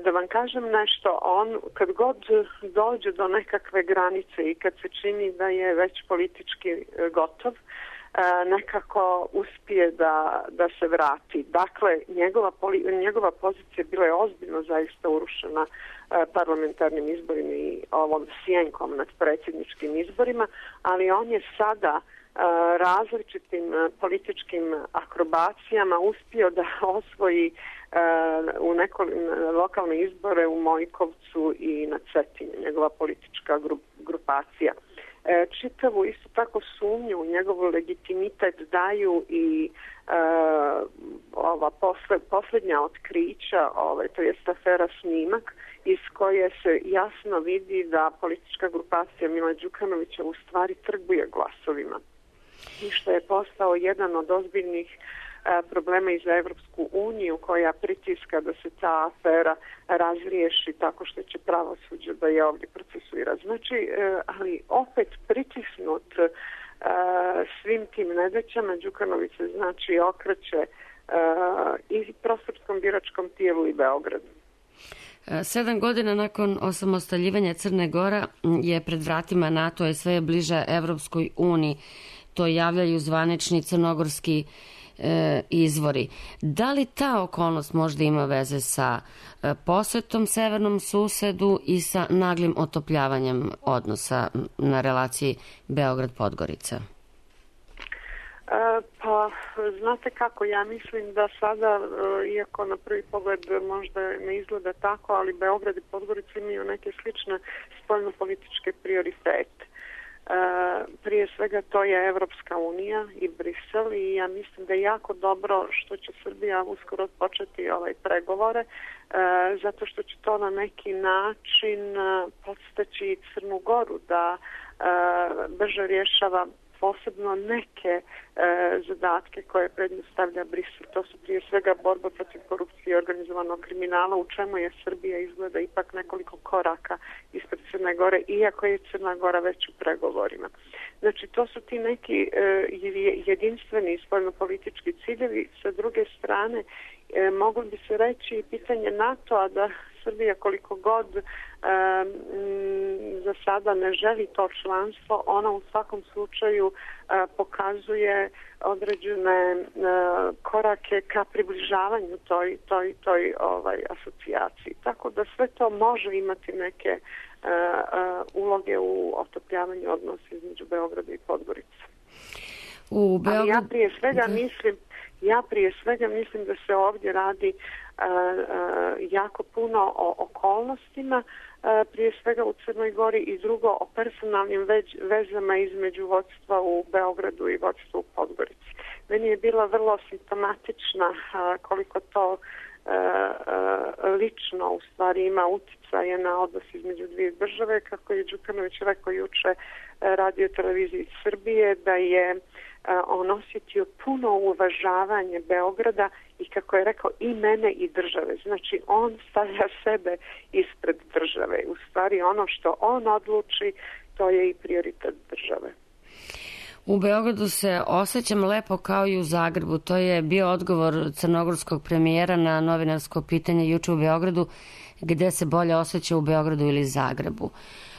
Da vam kažem nešto, on kad god dođe do nekakve granice i kad se čini da je već politički gotov, nekako uspije da se vrati. Dakle, njegova pozicija bila je ozbiljno zaista urušena parlamentarnim izborima i ovom sjenkom nad predsjedničkim izborima, ali on je sada različitim političkim akrobacijama uspio da osvoji u lokalne izbore u Mojkovcu i na Cetinju, njegova politička grupacija. Čitavu isto tako sumnju u njegov legitimitet daju i ova posljednja otkrića, to je afera Snimak, iz koje se jasno vidi da politička grupacija Mila Đukanovića u stvari trguje glasovima. I što je postao jedan od ozbiljnih problema i za Evropsku uniju, koja pritiska da se ta afera razriješi tako što će pravosuđe da je ovdje procesuira. Znači, ali opet pritisnut svim tim nedaćama, Đukanović se znači okreće i prostorskom biračkom tijelu i Beogradu. 7 godina nakon osamostaljivanja Crne Gore je pred vratima NATO i sve je bliža Evropskoj uniji. To javljaju zvanični crnogorski izvori. Da li ta okolnost možda ima veze sa posjetom severnom susedu i sa naglim otopljavanjem odnosa na relaciji Beograd-Podgorica? Pa, znate kako, ja mislim da sada, iako na prvi pogled možda ne izgleda tako, ali Beograd i Podgorica imaju neke slične spoljnopolitičke prioritete. Prije svega to je Evropska unija i Brisel i ja mislim da je jako dobro što će Srbija uskoro početi pregovore, zato što će to na neki način podstaći Crnu Goru da brže rješava posebno neke zadatke koje predstavlja Brisel. To su prije svega borba protiv korupcije i organizovanog kriminala, u čemu je Srbija izgleda ipak nekoliko koraka ispred Crne Gore, iako je Crna Gora već u pregovorima. Znači, to su ti neki jedinstveni spoljnopolitički ciljevi. Sa druge strane, moglo bi se reći pitanje NATO-a, da Srbija koliko god za sada ne želi to članstvo, ona u svakom slučaju pokazuje određene korake ka približavanju toj asocijaciji. Tako da sve to može imati neke uloge u otopljavanju odnosa između Beograda i Podgorice. Ali ja prije svega mislim da se ovdje radi jako puno o okolnostima, prije svega u Crnoj Gori, i drugo o personalnim vezama između vodstva u Beogradu i vodstva u Podgorici. Meni je bila vrlo simptomatična koliko to lično u stvari ima uticaje na odnos između dvije države, kako je Đukanović rekao juče Radio televiziji Srbije, da je on osjetio puno uvažavanje Beograda i, kako je rekao, i mene i države. Znači, on stavlja sebe ispred države. U stvari, ono što on odluči, to je i prioritet države. U Beogradu se osjećam lepo kao i u Zagrebu. To je bio odgovor crnogorskog premijera na novinarsko pitanje juče u Beogradu, gde se bolje osjeća u Beogradu ili Zagrebu.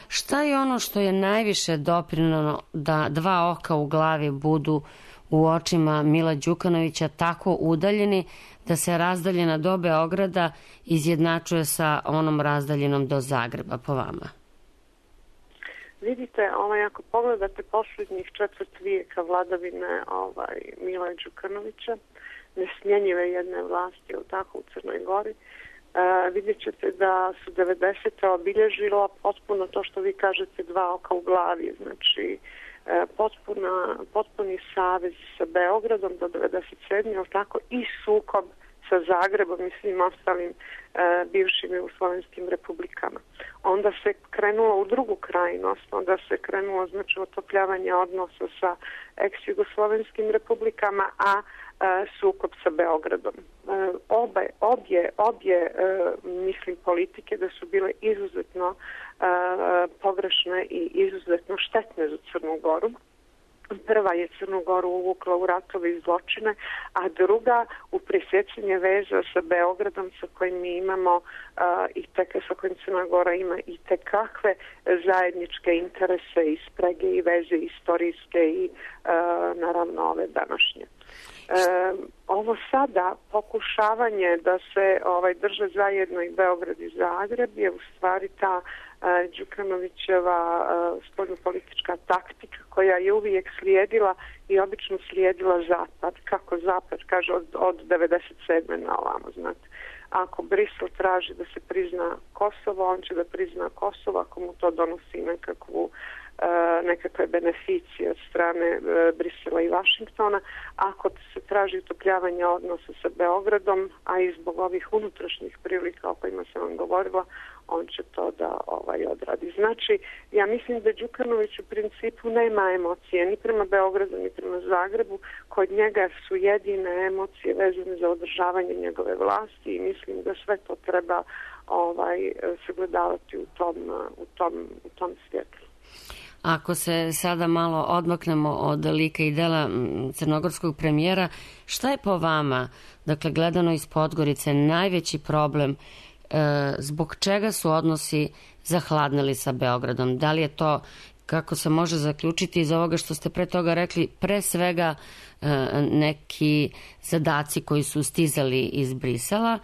Šta je ono što je najviše doprinelo da dva oka u glavi budu u očima Mila Đukanovića tako udaljeni da se razdaljena do Beograda izjednačuje sa onom razdaljenom do Zagreba, po vama? Vidite, ako pogledate posljednjih četvrt vijeka vladavine Mila Đukanovića, nesmjenjive jedne vlasti, tako, u Crnoj Gori, vidjet ćete da su 90. obilježila potpuno to što vi kažete, dva oka u glavi, znači potpuni savez sa Beogradom do 97. tako, i sukob sa Zagrebom i svim ostalim bivšim jugoslovenskim republikama. Onda se krenulo u drugu krajnost, onda se krenulo znači otopljavanje odnosa sa ex-jugoslovenskim republikama, a sukob sa Beogradom. Obje mislim politike da su bile izuzetno pogrešne i izuzetno štetne za Crnu Goru. Prva je Crnu Goru uvukla u ratove i zločine, a druga u presjecanje veza sa Beogradom sa kojim mi imamo sa kojim Crna Gora ima i tekakve zajedničke interese i sprege i veze istorijske i naravno ove današnje. Ovo sada pokušavanje da se drže zajedno i Beograd i Zagreb je u stvari ta Đukanovićeva spoljnopolitička taktika koja je uvijek slijedila i obično slijedila Zapad. Kako Zapad kaže od 97. na ovamo, znate. Ako Brisel traži da se prizna Kosovo, on će da prizna Kosovo ako mu to donosi nekakve beneficije od strane Brisela i Vašingtona. Ako se traži utopljavanje odnosa sa Beogradom, a i zbog ovih unutrašnjih prilika o kojima sam vam govorila, on će to da odradi. Znači, ja mislim da Đukanović u principu nema emocije ni prema Beogradu, ni prema Zagrebu. Kod njega su jedine emocije vezane za održavanje njegove vlasti i mislim da sve to treba sagledavati u tom svjetlu. Ako se sada malo odmaknemo od lika i dela crnogorskog premijera, šta je po vama, dakle gledano iz Podgorice, najveći problem zbog čega su odnosi zahladnili sa Beogradom? Da li je to, kako se može zaključiti iz ovoga što ste pre toga rekli, pre svega neki zadaci koji su stizali iz Brisela,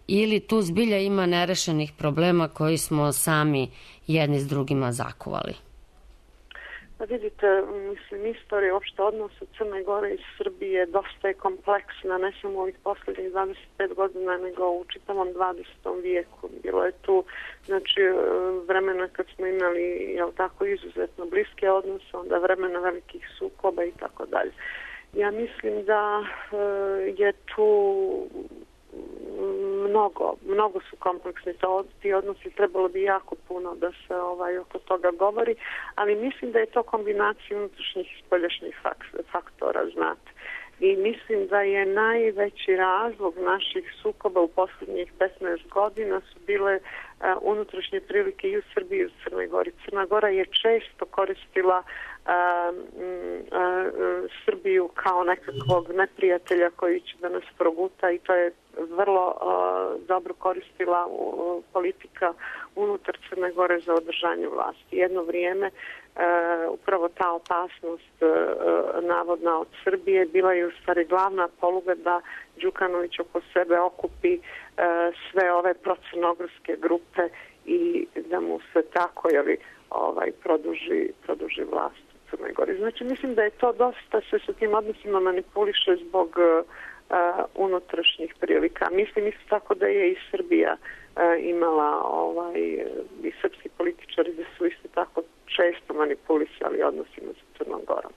ili tu zbilja ima nerešenih problema koji smo sami jedni s drugima zakuvali? Pa vidite, mislim, istorija uopšte odnosa Crne Gore i Srbije dosta je kompleksna, ne samo ovih poslednjih 25 godina, nego u čitavom 20. vijeku. Bilo je tu, znači, vremena kad smo imali, izuzetno bliske odnose, onda vremena velikih sukoba i tako dalje. Ja mislim da je tu mnogo su kompleksni ti odnosi, trebalo bi jako puno da se oko toga govori, ali mislim da je to kombinacija unutrašnjih i spoljašnjih faktora, znate. I mislim da je najveći razlog naših sukoba u posljednjih 15 godina su bile unutrašnje prilike i u Srbiji i u Crnoj Gori. Crna Gora je često koristila Srbiju kao nekakvog neprijatelja koji će da nas proguta i to je vrlo dobro koristila politika unutar Crne Gore za održanje vlasti. Jedno vrijeme upravo ta opasnost navodna od Srbije bila je u stvari glavna poluga da Đukanović oko sebe okupi sve ove procrnogorske grupe i da mu se tako produži vlast u Crnoj Gori. Znači mislim da je to dosta se sa tim odnosima manipuliše zbog unutrašnjih prilika. Mislim isto tako da je i Srbija imala i srpski političari da su isto tako često manipulisali odnosima sa Crnom Gorom.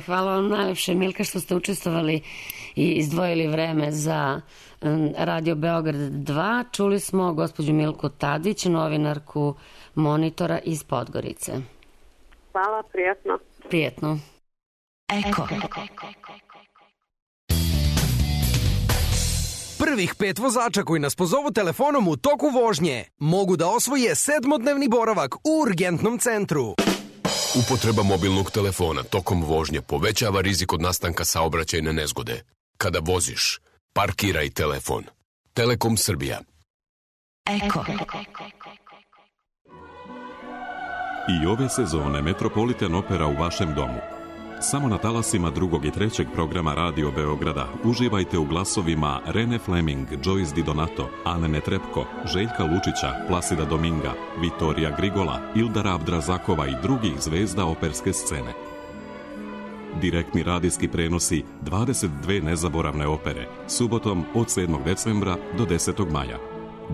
Hvala vam najlepše, Milka, što ste učestvovali i izdvojili vreme za Radio Beograd 2. Čuli smo gospođu Milku Tadić, novinarku Monitora iz Podgorice. Hvala, prijatno. Prijetno. Eko. Prvih 5 vozača koji nas pozovu telefonom u toku vožnje mogu da osvoje 7-dnevni boravak u urgentnom centru. Upotreba mobilnog telefona tokom vožnje povećava rizik od nastanka saobraćajne nezgode. Kada voziš, parkiraj telefon. Telekom Srbija. Eko. I ove sezone Metropolitan Opera u vašem domu. Samo na talasima 2. i 3. programa Radio Beograda uživajte u glasovima Rene Fleming, Joyce Di Donato, Ane Netrepko, Željka Lučića, Plasida Dominga, Vitorija Grigola, Ildara Abdrazakova i drugih zvezda operske scene. Direktni radijski prenosi 22 nezaboravne opere, subotom od 7. decembra do 10. maja.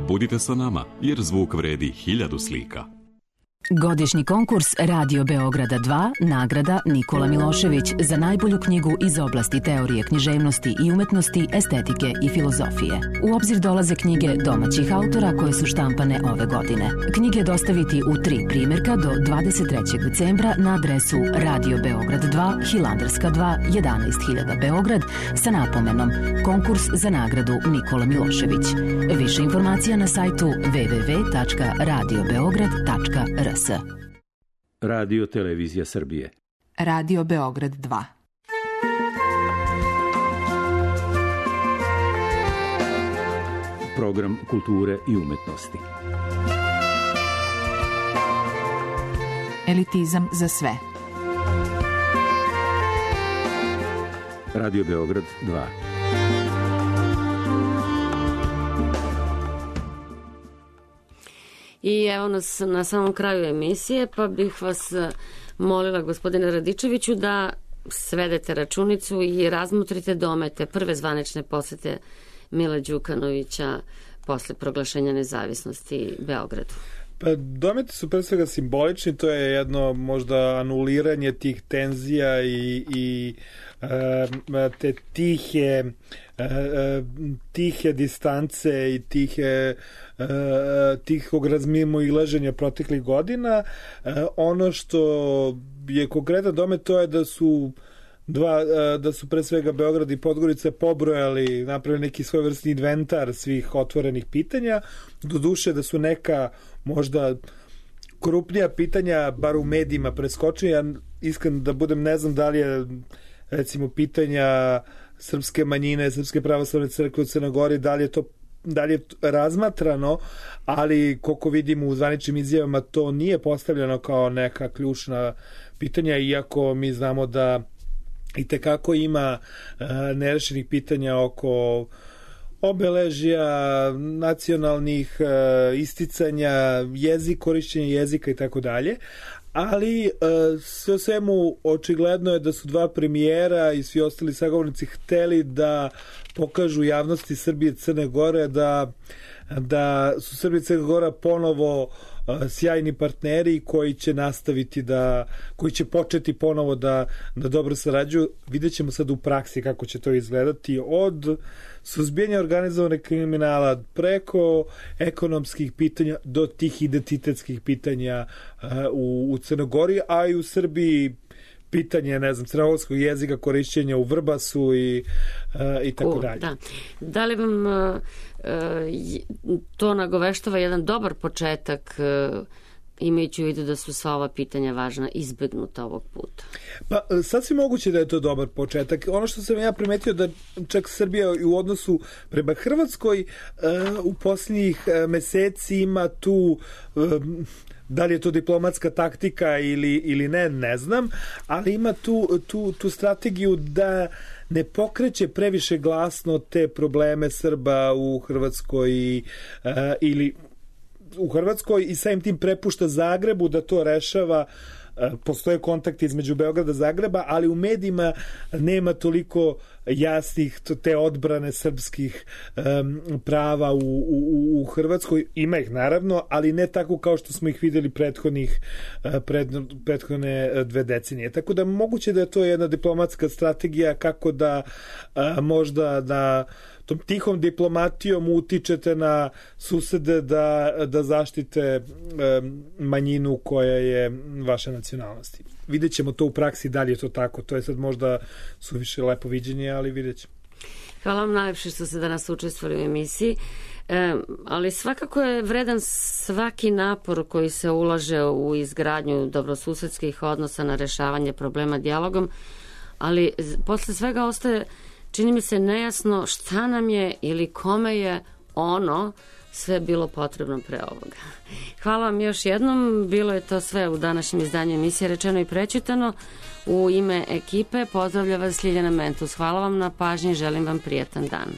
Budite sa nama, jer zvuk vredi 1000 slika. Godišnji konkurs Radio Beograda 2, nagrada Nikola Milošević za najbolju knjigu iz oblasti teorije književnosti i umetnosti, estetike i filozofije. U obzir dolaze knjige domaćih autora koje su štampane ove godine. Knjige dostaviti u 3 primjerka do 23. decembra na adresu Radio Beograd 2, Hilandarska 2, 11.000 Beograd sa napomenom Konkurs za nagradu Nikola Milošević. Više informacija na sajtu www.radiobeograd.rs. Radio Televizija Srbije. Radio Beograd 2. Program kulture i umetnosti. Elitizam za sve. Radio Beograd 2. I evo nas na samom kraju emisije, pa bih vas molila, gospodine Radičeviću, da svedete računicu i razmotrite domete prve zvanične posete Mila Đukanovića posle proglašenja nezavisnosti Beogradu. Pa dometi su pre svega simbolični, to je jedno možda anuliranje tih tenzija i te tihe distance i tihog razmimoilaženja proteklih godina. Ono što je konkretan domet, to je da su pre svega Beograd i Podgorica pobrojali, napravili neki svojevrsni inventar svih otvorenih pitanja, doduše da su neka možda krupnija pitanja, bar u medijima, preskočili. Ja iskren da budem, ne znam da li je recimo pitanja srpske manjine, Srpske pravoslavne crkve u Crnoj Gori, da li je razmatrano, ali koliko vidimo u zvaničnim izjavama to nije postavljeno kao neka ključna pitanja, iako mi znamo da i tekako ima nerešenih pitanja oko obeležja, nacionalnih isticanja, korišćenja jezika i tako dalje. Ali sve o svemu očigledno je da su dva premijera i svi ostali sagovornici hteli da pokažu javnosti Srbije i Crne Gore da su Srbija i Crna Gora ponovo sjajni partneri koji će nastaviti koji će početi ponovo da dobro sarađuju. Vidjet ćemo sad u praksi kako će to izgledati, od suzbijanja organizovanog kriminala preko ekonomskih pitanja do tih identitetskih pitanja u Crnoj Gori, a i u Srbiji pitanje, ne znam, crnogorskog jezika, korišćenja u Vrbasu i tako dalje. Da li vam to nagoveštava jedan dobar početak, imajući u vidu da su sva ova pitanja važna, izbegnuta ovog puta? Pa, sasvim moguće da je to dobar početak. Ono što sam ja primetio da čak Srbija u odnosu prema Hrvatskoj u posljednjih meseci ima tu da li je to diplomatska taktika ili ne znam, ali ima tu strategiju da ne pokreće previše glasno te probleme Srba u Hrvatskoj ili u Hrvatskoj i samim tim prepušta Zagrebu da to rešava. Postoje kontakti između Beograda i Zagreba, ali u medijima nema toliko jasnih te odbrane srpskih prava u Hrvatskoj. Ima ih naravno, ali ne tako kao što smo ih videli prethodne 2 decenije. Tako da moguće da je to jedna diplomatska strategija kako da možda da tom tihom diplomatijom utičete na susede da zaštite manjinu koja je vaše nacionalnosti. Vidjet ćemo to u praksi, da li je to tako. To je sad možda suviše lepo viđenje, ali vidjet ćemo. Hvala vam najlepše što ste danas učestvovali u emisiji. Ali svakako je vredan svaki napor koji se ulaže u izgradnju dobrosusedskih odnosa, na rešavanje problema dijalogom, ali posle svega ostaje, čini mi se, nejasno šta nam je ili kome je ono sve bilo potrebno pre ovoga. Hvala vam još jednom, bilo je to sve u današnjem izdanju emisije Rečeno i prečitano. U ime ekipe pozdravlja vas Ljiljana Mentus. Hvala vam na pažnji, želim vam prijatan dan.